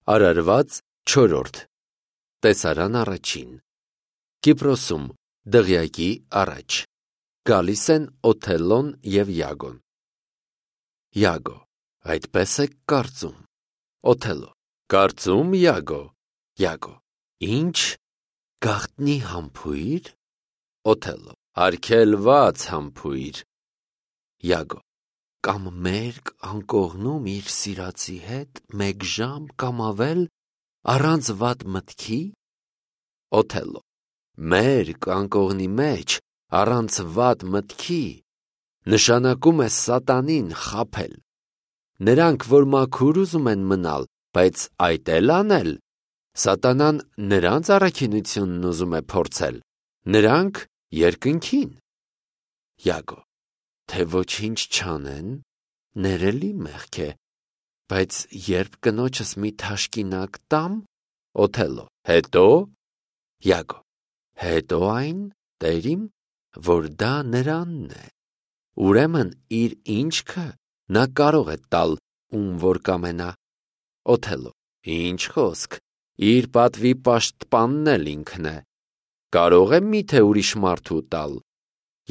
Արարված 4 Տեսարան առաջին Կիպրոսում դղյակի առաջ Գալիս են Օթելլոն և Յագոն։ Յագո. այդպես եք կարծում։ Օթելլո. կարծում, Յագո։ Յագո. ինչ, գաղտնի համբույր։ Օթելլո. արգելված համբույր։ Յագո. կամ մերկ անկողնում իր սիրածի հետ մեկ ժամ կամ ավել առանց վատ մտքի։ Օթելլո. մերկ անկողնի մեջ առանց վատ մտքի նշանակում է սատանին խաբել։ Նրանք, որ մաքուր ուզում են մնալ, բայց այդ էլ անել, սատանան նրանց առաքինությունն ուզում է փորձել, նրանք երկնքին։ Յագո. թե ոչինչ չանեն, ներելի մեղք է, բայց երբ կնոջս մի թաշկինակ տամ։ Օթելլո. հետո։ Յագո. հետո այն, տերիմ, որ դա նրանն է։ Ուրեմն իր ինչքը նա կարող է տալ, ում որ կամենա։ Օթելլո. ինչ խոսք, իր պատվի պաշտպանն էլ ինքն է, կարող է միթե ուրիշ մարդու տալ։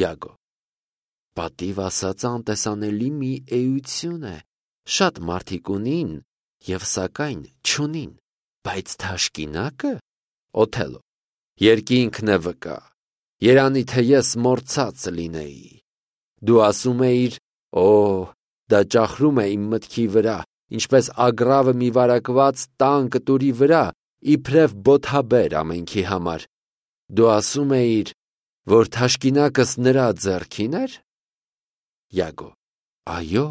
Յագո. պատիվ ասած անտեսանելի մի էություն է, շատ մարդիկ ունին և սակայն չունին, բայց թաշկինակը։ Օթելլո. երկինքն է վկա, երանի թե ես մոռացած լինեի։ Դու ասում էիր, դա ճախրում է իմ մտքի վրա, ինչպես ագռավը մի վարակված տան կտուրի վրա, իբրև բոթաբեր ամենքի համար։ Դու ասում էիր, որ թաշկինակս նրա ձեռքին էր։ Յագո. այո,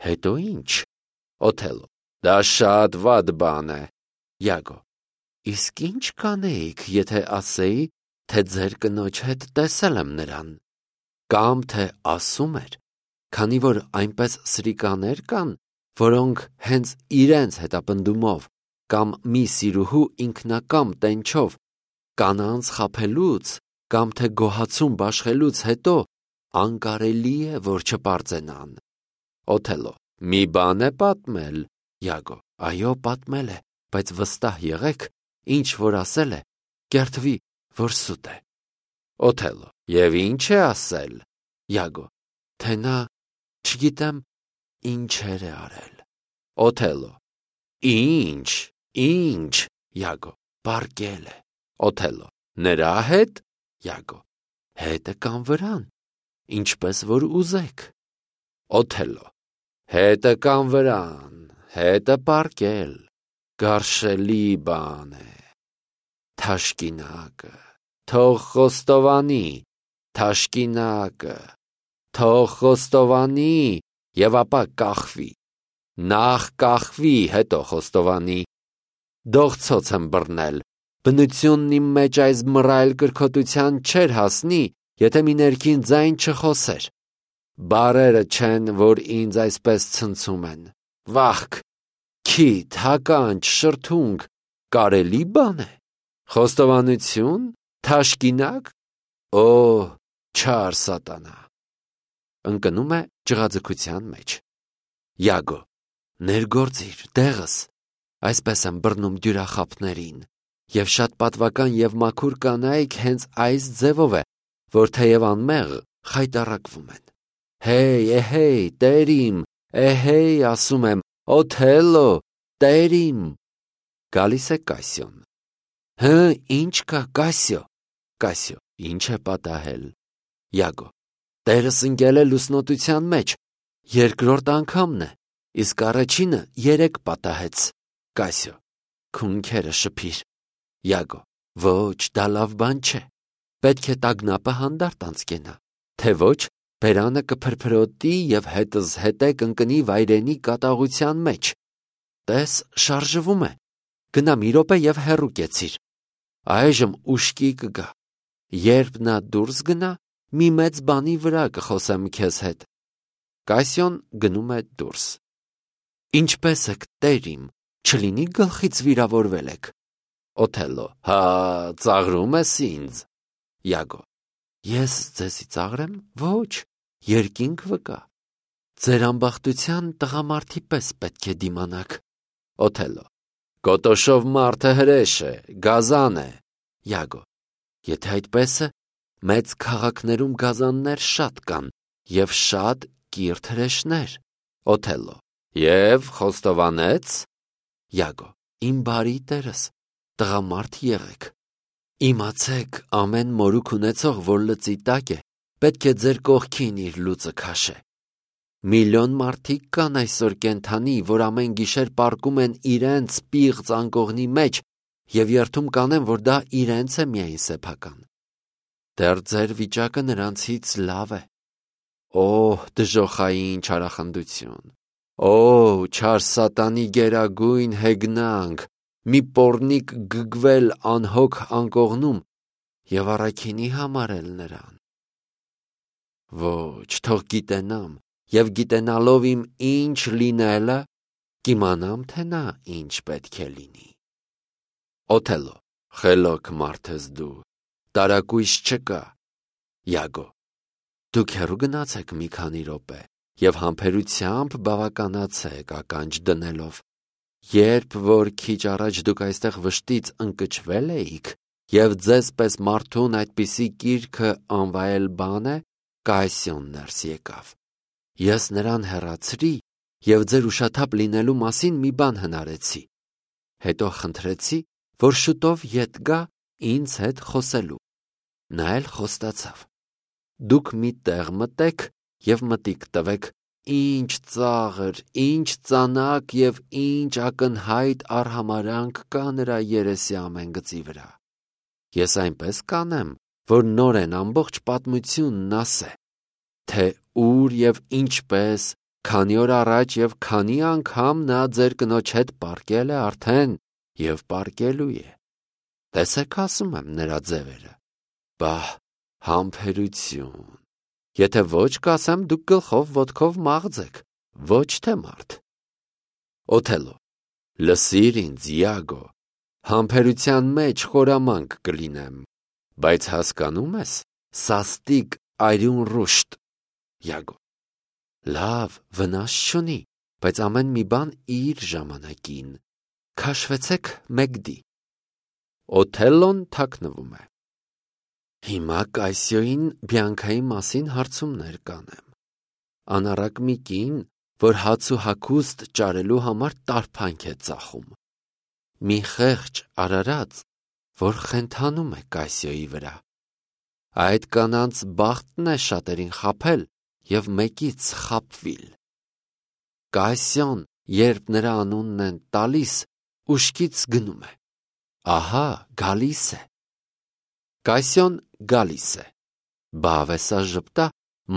հետո ինչ։ Օթելլո. դա շատ վատ բան է։ Յագո. իսկ ինչ կանեիք, եթե ասեի, թե ձեր կնոջ հետ տեսել եմ նրան, կամ թե ասում էր, քանի որ այնպես սրիկաներ կան, որոնք հենց իրենց հետապնդումով կամ մի սիրուհու ինքնակամ տենչով կանանց խաբելուց կամ թե գոհացում բաշխելուց հետո անկարելի է, որ չպարծենան։ Օթելլո. մի բան է պատմել։ Յագո. այո, պատմել է, բայց վստահ եղեք, ինչ որ ասել է, կերթվի, որ սուտ է։ Օթելլո. և ինչ է ասել։ Յագո. թե նա չգիտեմ ինչեր է արել։ Օթելլո. ինչ։ Յագո. պառկել է։ Օթելլո. նրա հետ։ Յագո. հետը կամ վրան, ինչպես որ ուզեք։ Օթելլո. հետը կամ վրան, հետը պառկել, գարշելի բան է։ Թաշկինակը թող խոստովանի, թաշկինակը թող խոստովանի և ապա կախվի։ Նախ կախվի, հետո խոստովանի։ Դողցոց եմ բռնել, բնությունն իմ մեջ այս մռայլ կրքոտության չէր հասնի, եթե մի ներքին ձայն չխոսեր։ Բառերը չեն, որ ինձ այսպես ցնցում են։ Վախք, քիթ, հականջ, շրթունք, կարելի բան է։ Խոստովանություն, թաշկինակ, չար սատանա։ Ընկնում է ջղաձգության մեջ։ Յագո. ներգործիր դեղս, այսպես եմ բռնում դյուրախաբներին, և շատ պատվական և մաքուր կանայք հենց այս ձևով է, որ թեև անմեղ խայտառակվում են։ Հեյ, տերիմ, էհեյ, ասում եմ, Օթելլո, տերիմ։ Գալիս է Կասիոն. ինչ կա, Կասիո։ Կասիո. ինչ է պատահել։ Յագո. տերս ընկել է լուսնոտության մեջ, երկրորդ անգամն է, իսկ առաջինը 3 պատահեց։ Կասիո. քունքերը շփիր։ Յագո. ոչ, դա լավ բան չէ, պետք է տագնապը հանդարտ անցկենա, թե ոչ բերանը կփրփրոտի և հետզհետե կընկնի վայրենի կատաղության մեջ։ Տես, շարժվում է, գնա մի րոպե և հեռու կեցիր, այժմ ուշքի կգա, երբ նա դուրս գնա, մի մեծ բանի վրա կխոսեմ քեզ հետ։ Կասիոն գնում է դուրս։ Ինչպե՞ս եք, տերիմ, չլինի գլխից վիրավորվել եք։ Օթելլո. ծաղրում ես ինձ։ Յագո. ես ձեզի ծաղրեմ, ոչ, երկինք վկա։ Ձեր ամբախտության տղամարդի պես պետք է դիմանաք։ Օթելլո. Կոտոշով մարդը հրեշ է, գազան է։ Յագո. Եթե այդպես է, մեծ քաղաքներում գազաններ շատ կան և շատ կիրթ հրեշներ։ Օթելլո. Եվ խոստովանեց։ Յագո. Իմ բարի տերս, տղամարդ եղեք։ Իմացեք, ամեն մորուք ունեցող, որ լծի տակ է, պետք է ձեր կողքին իր լուծը քաշե։ Միլիոն մարդիկ կան այսօր կենդանի, որ ամեն գիշեր պառկում են իրենց պիղծ անկողնի մեջ և երդում կանեն, որ դա իրենց է միայն սեփական։ Դեռ ձեր վիճակը նրանցից լավ է։ Օ, դժոխային չարախնդություն, օ, չար սատանի գերագույն հեգնանք, մի պոռնիկ գգվել անհոգ անկողնում և առաքինի համարել նրան։ Ոչ, թող գիտենամ, և գիտենալով իմ ինչ լինելը, կիմանամ, թե նա ինչ պետք է լինի։ Օթելլո. Խելոք մարդ ես դու, տարակույս չկա։ Յագո. Դուք հեռու գնացեք մի քանի րոպե և համբերությամբ բավականացեք ականջ դնելով։ Երբ որ քիչ առաջ դուք այստեղ վշտից ընկճվել էիք և ձեզ պես մարդուն այդպիսի կիրքը անվայել բան է, Կայսյոն ներս եկավ։ Ես նրան հեռացրի և ձեր ուշաթափ լինելու մասին մի բան հնարեցի։ Հետո խնդրեցի, որ շուտով ետ գա ինձ հետ խոսելու։ Նա էլ խոստացավ։ Դուք մի տեղ մտեք և մտիկ տվեք, ինչ ծաղր, ինչ ծանակ և ինչ ակնհայտ արհամարհանք կա նրա երեսի ամեն գծի վրա։ Ես այնպես կանեմ, որ նորեն ամբողջ պատմությունն ասե, թե ուր և ինչպես, քանի օր առաջ և քանի անգամ նա ձեր կնոջ հետ պառկել է արդեն և պառկելու է։ Տեսեք, ասում եմ, նրա ձևերը։ Բահ, համբերություն։ Եթե ոչ կասեմ, դուք գլխով ոտքով մաղձեք, ոչ թե մարդ։ Օթելլո. Լսիր ինձ, Յագո, համբերության մեջ խորամանկ կլինեմ, բայց հասկանում ես, սաստիկ արյուն ռուշտ։ Յագո. Լավ, վնաս չունի, բայց ամեն մի բան իր ժամանակին։ Քաշվեցեք մեկդի։ Օթելլոն թաքնվում է։ Հիմա Կայսյոյին Բիանքայի մասին հարցումներ կանեմ։ Անառակ մի կին, որ հաց ու հագուստ ճարելու համար տարփանք է ծախում։ Մի խեղճ արարած, որ խենթանում է Կայսյոյի վրա։ Այդ կանանց բախտն է շատերին խաբել և մեկից խաբվիլ։ Կայսյոն, երբ նրա անունն են տալիս, ուշքից գնում է։ Ահա, գալիս է։ Կայսյոն գալիս է։ Բավեսա ժպտա,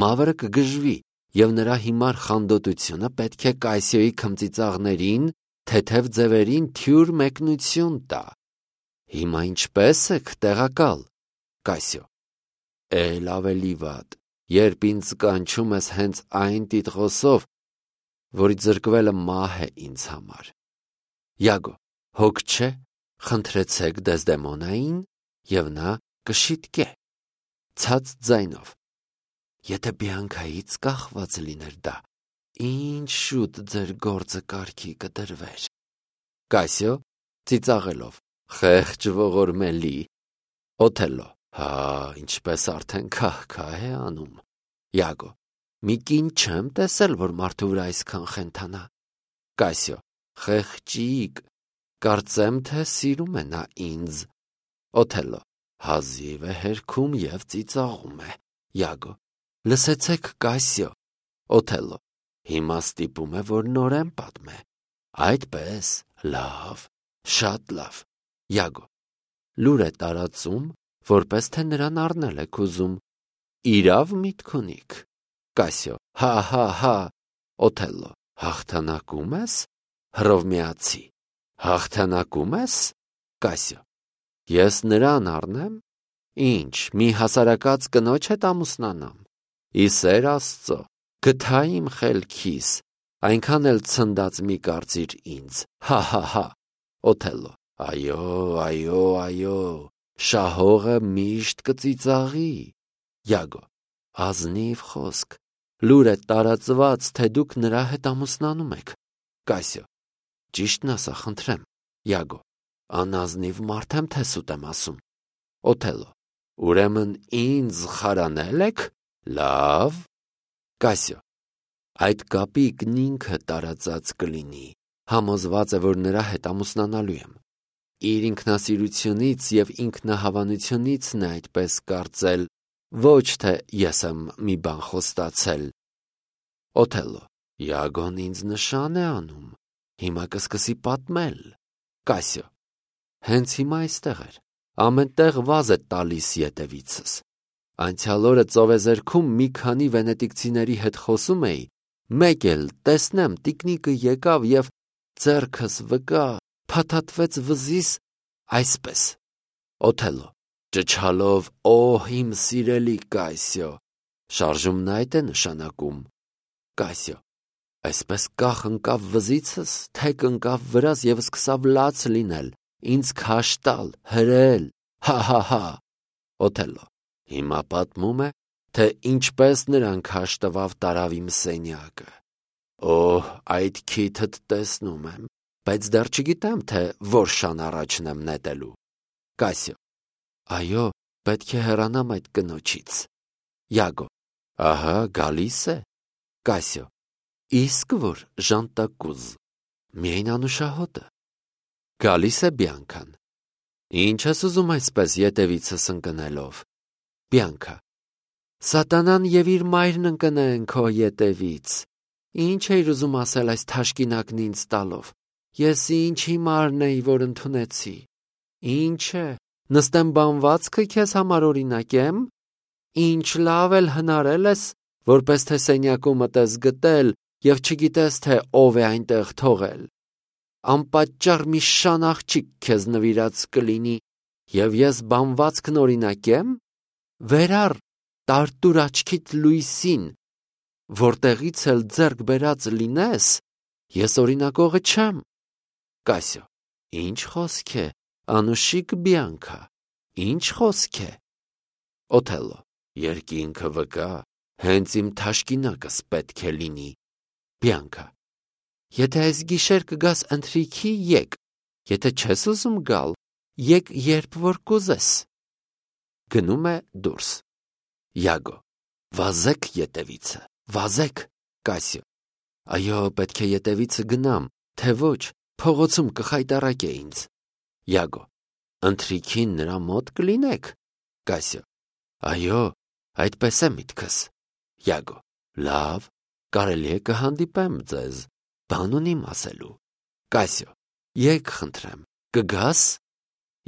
մավրը կգժվի, և նրա հիմար խանդոտությունը պետք է Կայսյոյի քմծիծաղներին, թեթև ձևերին թյուր մեկնություն տա։ Հիմա ինչպե՞ս եք, տեղակալ։ Կայսյո. Էլ ավելի վատ, երբ ինձ կանչում ես հենց այն տիտղոսով, որի զրկվելը մահ է ինձ համար։ Յագո. Հոգ չէ, խնդրեցեք Դեզդեմոնային, և նա կշիտկե։ Ցած ձայնով. Եթե Բիանքայից կախված լիներ դա, ինչ շուտ ձեր գործը կարգի կդրվեր։ Կայսյո ծիծաղելով. Խեղճ ողորմելի։ Օթելլո. Հա, ինչպես արդեն քահ-քահ է անում։ Յագո. Մի կին չեմ տեսել, որ մարդու վրա այսքան խենթանա։ Կայսյո. Խեղճիկ, կարծեմ, թե սիրում է նա ինձ։ Օթելլո. Հազիվ է հերքում և ծիծաղում է։ Յագո. Լսեցեք, Կայսյո։ Օթելլո. Հիմա ստիպում է, որ նորեն պատմե։ Այդպես, լավ, շատ լավ։ Յագո. Լուր է տարածում, որպես թե նրան առնել եք ուզում։ Իրավ միտք ունիք։ Կայսյո. Հա։ Օթելլո. Հաղթանակում ես։ Հռովմեացի. Հաղթանակում ես։ Կայսյո. Ես նրան առնեմ։ Ինչ, մի հասարակած կնոջ հետ ամուսնանամ։ Ի սեր Աստծո, գթա իմ խելքիս, այնքան էլ ցնդած մի կարծիր ինձ։ Հա։ Օթելլո. Այո, շահողը միշտ կծիծաղի։ Յագո. Ազնիվ խոսք, լուր է տարածված, թե դուք նրա հետ ամուսնանում եք։ Կայսյո. Ճիշտն ասա, խնդրեմ, Յագո. Անազնիվ մարդ եմ, թե սուտ եմ ասում։ Օթելլո. Ուրեմն ինձ խարանել եք։ Լավ։ Կասյո. այդ կապիկն ինքը տարածած կլինի, համոզված է, որ նրա հետ ամուսնանալու եմ։ Իր ինքնասիրությունից և ինքնահավանությունից է այդպես կարծել, ոչ թե ես եմ մի բան խոստացել։ Օթելլո. Յագոն ինձ նշան է անում, հիմա կսկսի պատմել։ Կասյո. հենց հիմա այստեղ էր, ամեն տեղ վազ է տալիս ետևիցս։ Անցյալ օրը ծովեզերքում մի քանի վենետիկցիների հետ խոսում էի, մեկ էլ տեսնեմ տիկնիկը եկավ և ձեռքս վկա, փաթաթվեց վզիս այսպես։ Օթելլո. ճչալով օհ իմ սիրելի Կասյո, շարժումն այդ է նշանակում։ Կասյո. այսպես կախ ընկավ վզիցս, թեք ընկավ վրաս և սկսավ լաց լինել, ինձ քաշ տալ, հրել, հա։ Օթելլո. հիմա պատմում է, թե ինչպես նրան քաշ տվավ տարավ իմ սենյակը։ Օհ, այդ քիթդ տեսնում եմ, բայց դեռ չգիտեմ, թե որ շան առաջն եմ նետելու։ Կասյո. այո, պետք է հեռանամ այդ կնոջից։ Յագո. ահա գալիս է։ Կասյո. իսկ որ ժանտակուզ, միայն անուշահոտը։ Գալիս է Բիանքան. ինչ ես ուզում այսպես ետևիցս ընկնելով։ Բիանքա. սատանան և իր մայրն ընկնեն քո ետևից։ Ինչ էիր ուզում ասել այս թաշկինակն ինձ տալով։ Ես ինչ հիմարն էի, որ ընդունեցի։ Ինչ է, նստեմ բանվածքը քեզ համար օրինակեմ։ Ինչ լավ էլ հնարել ես, որպես թե սենյակումդ ես գտել և չգիտես, թե ով է այնտեղ թողել։ Անպատճառ մի շան աղջիկ քեզ նվիրած կլինի, և ես բանվածքն օրինակեմ։ Վերար տարտուր աչքիդ լույսին, որտեղից էլ ձեռք բերած լինես, ես օրինակողը չեմ։ Կասյո. ինչ խոսք է, անուշիկ Բիանքա, ինչ խոսք է։ Օթելլո. երկինքը վկա, հենց իմ թաշկինակս պետք է լինի։ Բիանքա. եթե այս գիշեր կգաս ընթրիքի, եկ, եթե չես ուզում գալ, եկ երբ որ կուզես։ Գնում է դուրս։ Յագո. վազեք ետևիցը, վազեք։ Կասյո. այո, պետք է ետևիցը գնամ, թե ոչ, փողոցում կխայտառակե ինձ։ Յագո. ընթրիքին նրա մոտ կլինեք։ Կասյո. այո, այդպես է միտքս։ Յագո. լավ, կարելի է կհանդիպեմ ձեզ, բան ունիմ ասելու։ Կասյո. եկ խնդրեմ, կգաս։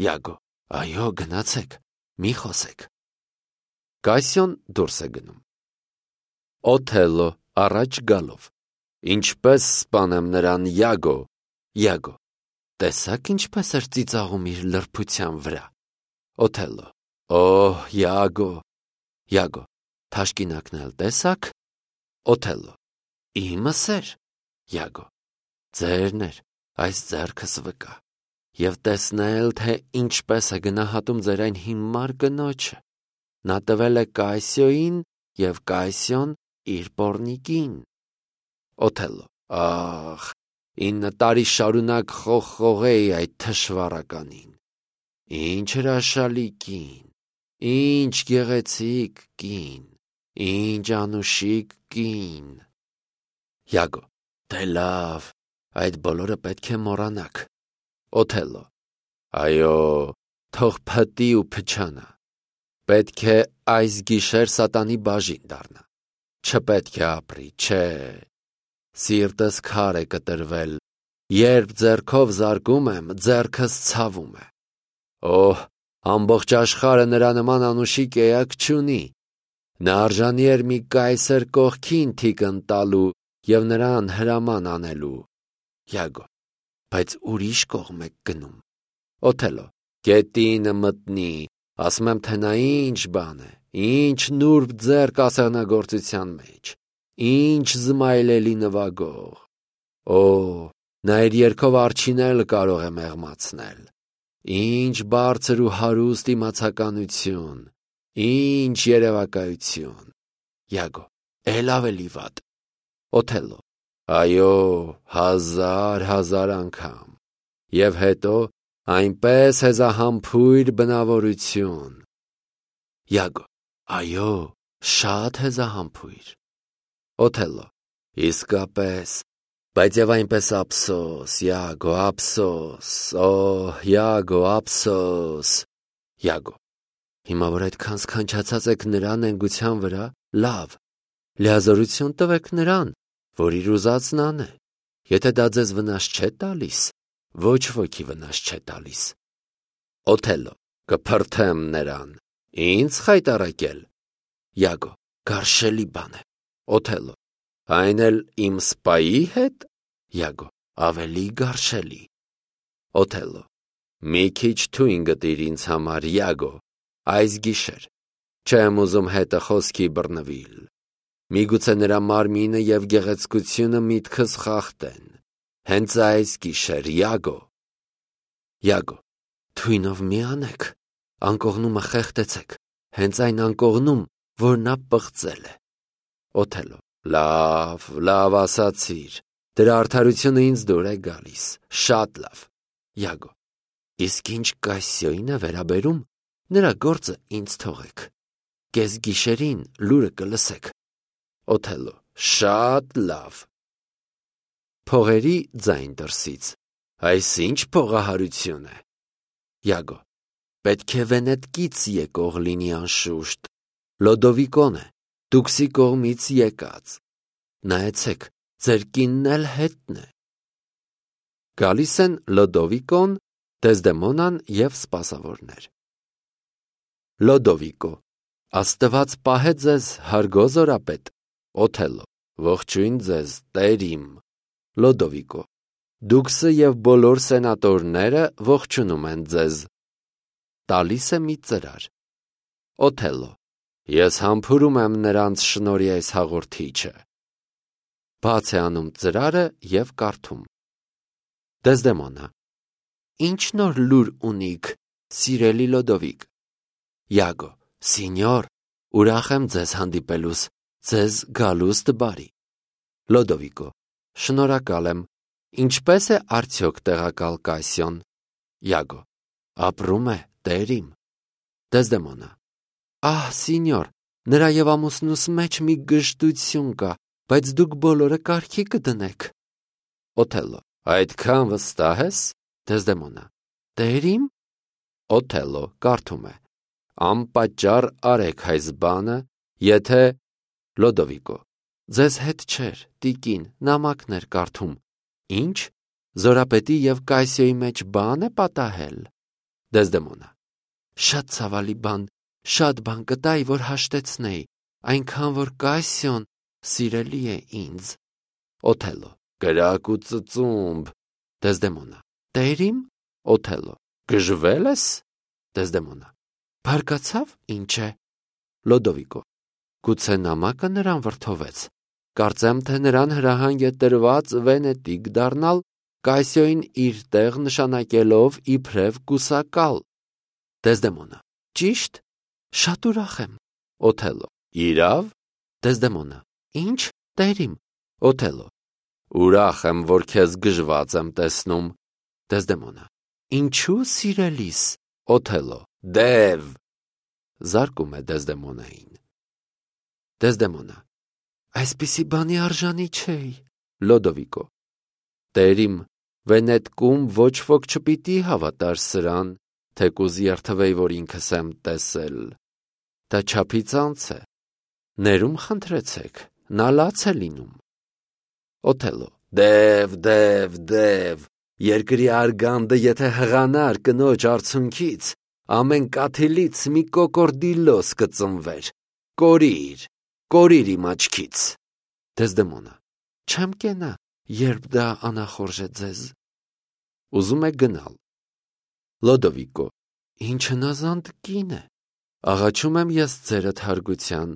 Յագո. այո, գնացեք, մի խոսեք։ Կասյոն դուրս է գնում։ Օթելլո առաջ գալով. ինչպես սպանեմ նրան, Յագո։ Յագո. տեսաք ինչպես էր ծիծաղում իր լրբության վրա։ Օթելլո. օհ, Յագո։ Յագո. թաշկինակն էլ տեսաք։ Օթելլո. իմս էր։ Յագո. ձերն էր, այս ձեռքս վկա, և տեսնել, թե ինչպես է գնահատում ձեր այն հիմար կնոջը։ Նա տվել է Կասյոյին և Կասյոն իր պոռնիկին։ Օթելլո. ահ, 9 տարի շարունակ խողխողեի այդ թշվառականին։ Ինչ հրաշալի կին, ինչ գեղեցիկ կին, ինչ անուշիկ կին։ Յագո. դե լավ, այդ բոլորը պետք է մոռանաք։ Օթելլո. այո, թող փտի ու փչանա։ Պետք է այս գիշեր սատանի բաժին դառնա։ Չպետք է ապրի, չէ։ Սիրտս քար է կտրվել, երբ ձեռքով զարկում եմ, ձեռքս ցավում է։ Օհ, ամբողջ աշխարհը նրա նման անուշիկ էակ չունի։ Նա արժանի էր մի կայսեր կողքին թիկն տալու և նրան հրաման անելու։ Յագո. բայց ուրիշ կողմ եք գնում։ Օթելլո. գետինը մտնի, ասում եմ, թե նա ինչ բան է, ինչ նուրբ ձեռք ասեղնագործության մեջ, ինչ զմայլելի նվագող։ Օհ, նա իր երգով արջին էլ կարող է մեղմացնել։ Ինչ բարձր ու հարուստ իմացականություն, ինչ երևակայություն։ Յագո. էլ ավելի վատ։ Օթելլո. այո, 1000 անգամ։ և հետո այնպես հեզահամբույր բնավորություն։ Յագո. Այո, շատ հեզահամբույր։ Օթելլո. Իսկապես, բայց և այնպես ափսոս, Յագո, ափսոս, Յագո, ափսոս։ Յագո. Հիմա որ այդքան սքանչացած եք նրա նենգության վրա, լավ, լիազորություն տվեք նրան, որ իր ուզածն անե։ Եթե դա ձեզ վնաս չէ տալիս, ոչ ոքի վնաս չէ տալիս։ Օթելլո. Կփրթեմ նրան։ Ինձ խայտառակել։ Յագո. Գարշելի բան է։ Օթելլո. Այն էլ իմ սպայի հետ։ Յագո. Ավելի գարշելի։ Օթելլո. Մի քիչ թույն գտիր ինձ համար, Յագո, այս գիշեր։ Չեմ ուզում հետը խոսքի բռնվիլ։ Միգուցե նրա մարմինը և գեղեցկությունը միտքս խախտեն։ Հենց այս գիշեր, Յագո։ Յագո. Թույնով մի անեք, անկողնումը խեղդեցեք, հենց այն անկողնում, որ նա պղծել է։ Օթելլո. Լավ ասացիր, դրա արդարությունը ինձ դուր է գալիս, շատ լավ։ Յագո. Իսկ ինչ Կասիոյին է վերաբերում, նրա գործը ինձ թողեք, կես գիշերին լուրը կլսեք։ Օթելլո. Շատ լավ։ Փողերի ձայն դրսից. Այս ինչ փողահարություն է։ Յագո. Պետք է Վենետկից եկող լինի անշուշտ, Լոդովիկոն է, Դուքսի կողմից եկած։ Նայեցեք, ձեր կինն էլ հետն է։ Գալիս են Լոդովիկոն, Դեզդեմոնան և սպասավորներ։ Լոդովիկո. Աստված պահե ձեզ, հարգո զորապետ։ Օթելլո. Ողջույն ձեզ, տեր իմ։ Լոդովիկո. Դուքսը և բոլոր սենատորները ողջունում են ձեզ։ Տալիս է մի ծրար։ Օթելլո. Ես համբուրում եմ նրանց շնորհի այս հաղորդիչը։ Բաց է անում ծրարը և կարդում։ Դեզդեմոնա. Ինչ նոր լուր ունիք, սիրելի Լոդովիկ։ Յագո. Սինյոր, ուրախ եմ ձեզ հանդիպելուս, ձեզ գալուստ բարի։ Լոդովիկո. Շնորհակալ եմ։ Ինչպե՞ս է արդյոք տեղակալ Կասիոն։ Յագո. Ապրում է, տեր իմ։ Դեզդեմոնա. Ահ, սինյոր, նրա և ամուսնուս մեջ մի գժտություն կա, բայց դուք բոլորը կարգի կդնեք։ Օթելլո. Այդքան վստահ ես։ Դեզդեմոնա. Տեր իմ։ Օթելլո կարդում է. Անպատճառ արեք այս բանը, եթե։ Լոդովիկո. Ձեզ հետ չէր, տիկին, նամակն էր կարդում։ Ինչ, զորապետի և Կասիոյի մեջ բան է պատահել։ Դեզդեմոնա. Շատ ցավալի բան, շատ բան կտայի, որ հաշտեցնեի, այնքան որ Կասիոն սիրելի է ինձ։ Օթելլո. Կրակ ու ծծումբ։ Դեզդեմոնա. Տեր իմ։ Օթելլո. Գժվել ես։ Դեզդեմոնա. Բարկացավ, ինչ է։ Լոդովիկո. Գուցե նամակը նրան վրդովեց։ Կարծեմ, թե նրան հրահանգ է տրված Վենետիկ դառնալ, Կասիոյին իր տեղ նշանակելով իբրև կուսակալ։ Դեզդեմոնա. Ճիշտ։ Շատ ուրախ եմ։ Օթելլո. Իրավ։ Դեզդեմոնա. Ինչ, տեր իմ։ Օթելլո. Ուրախ եմ, որ քեզ գժված եմ տեսնում։ Դեզդեմոնա. Ինչու սիրելիս։ Օթելլո. Դև։ Զարկում է Դեզդեմոնային։ Դեզդեմոնա. Այսպիսի բանի արժանի չէի։ Լոդովիկո. Տեր իմ, Վենետկում ոչ ոք չպիտի հավատար սրան, թեկուզ երթվեի, որ ինքս եմ տեսել։ Դա չափից անց է։ Ներում խնդրեցեք, նա լաց է լինում։ Օթելլո. Դև, երկրի արգանդը եթե հղանար կնոջ արցունքից, ամեն կաթիլից մի կոկորդիլոս կծնվեր։ Կորիր իմ աչքից։ Դեզդեմոնա. Չեմ կենա, երբ դա անախորժ է ձեզ։ Ուզում է գնալ։ Լոդովիկո. Ինչ հնազանդ կին է։ Աղաչում եմ ես ձերդ հարգության,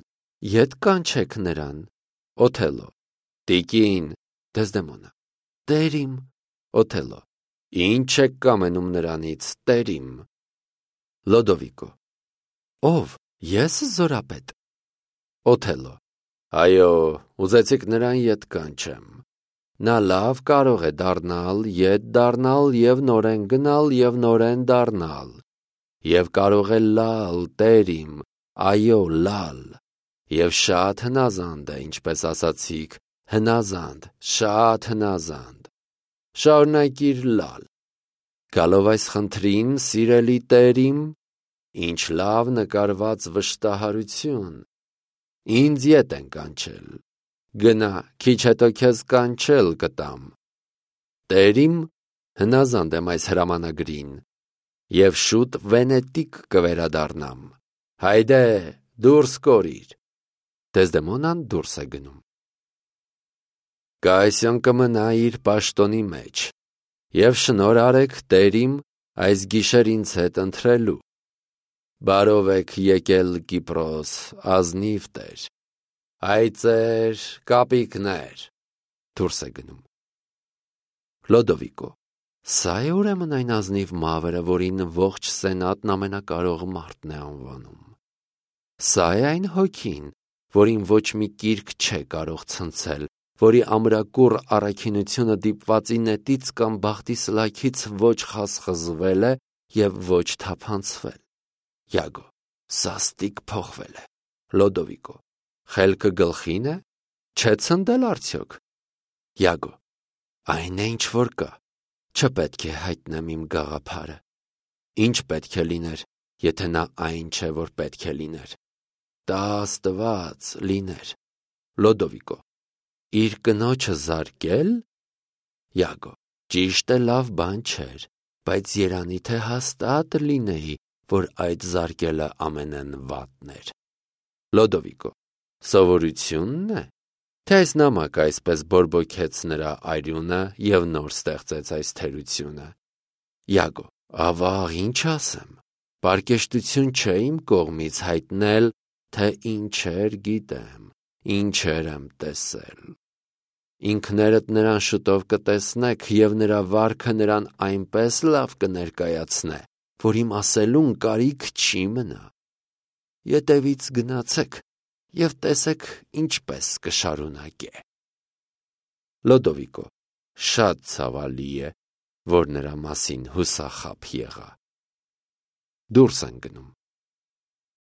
ետ կանչեք նրան։ Օթելլո. Տիկին։ Դեզդեմոնա. Տեր իմ։ Օթելլո. Ինչ եք կամենում նրանից, տեր իմ։ Լոդովիկո. Ով, ես զորապետ։ Օթելլո. Այո, ուզեցիք նրան ետ կանչեմ։ Նա լավ կարող է դառնալ, ետ դառնալ և նորեն գնալ և նորեն դառնալ, և կարող է լալ, տեր իմ, այո, լալ, և շատ հնազանդ է, ինչպես ասացիք, հնազանդ, շատ հնազանդ, շարունակիր լալ, գալով այս խնդրին, սիրելի Տեր իմ, ինչ լավ նկարված վշտահարություն, ինձ ետ են կանչել, գնա, քիչ հետո քեզ կանչել կտամ, Տեր իմ, հնազանդ եմ այս հրամանագրին, և շուտ Վենետիկ կվերադառնամ, հայդե, դուրս կորիր, Դեզդեմոնան դուրս է գնում, Կայսիոն կմնա իր պաշտոնի մեջ, և շնոր արեք Տեր իմ, այս գիշեր ինձ հետ ընթրելու, բարով եք եկել Կիպրոս, ազնիվ Տեր, այծեր, կապիկներ, դուրս է գնում, Լոդովիկո, սա է ուրեմն այն ազնիվ մավրը, որին ողջ սենատն ամենակարող մարդն է անվանում, սա է այն հոգին, որին ոչ մի կիրք չէ կարող ցնցել, որի ամրակուռ առաքինությունը դիպվածի նետից կամ բախտի սլաքից ոչ խազխզվել է և ոչ թափանցվել, Յագո, սաստիկ փոխվել է, Լոդովիկո, խելքը գլխին է, չէ ցնդել արդյոք, Յագո, այն է ինչ որ կա, չպետք է հայտնեմ իմ գաղափարը, ինչ պետք է լիներ, եթե նա այն չէ, որ պետք է լիներ, տա Աստված լիներ, Լոդովիկո, իր կնոջը զարկել, Յագո, ճիշտ է լավ բան չէր, բայց երանի թե հաստատ լինեի, որ այդ զարկելը ամենեն վատն էր, Լոդովիկո, սովորությունն է, թե այս նամակը այսպես բորբոքեց նրա արյունը և նոր ստեղծեց այս թերությունը, Յագո, ավաղ ինչ ասեմ, պարկեշտություն չէ իմ կողմից հայտնել, թե ինչեր գիտեմ, ինչեր եմ տեսել, ինքներդ նրան շուտով կտեսնեք և նրա վարքը նրան այնպես լավ կներկայացնե, որ իմ ասելուն կարիք չի մնա, ետևից գնացեք և տեսեք ինչպես կշարունակե, Լոդովիկո, շատ ցավալի է, որ նրա մասին հուսախաբ եղա, դուրս են գնում,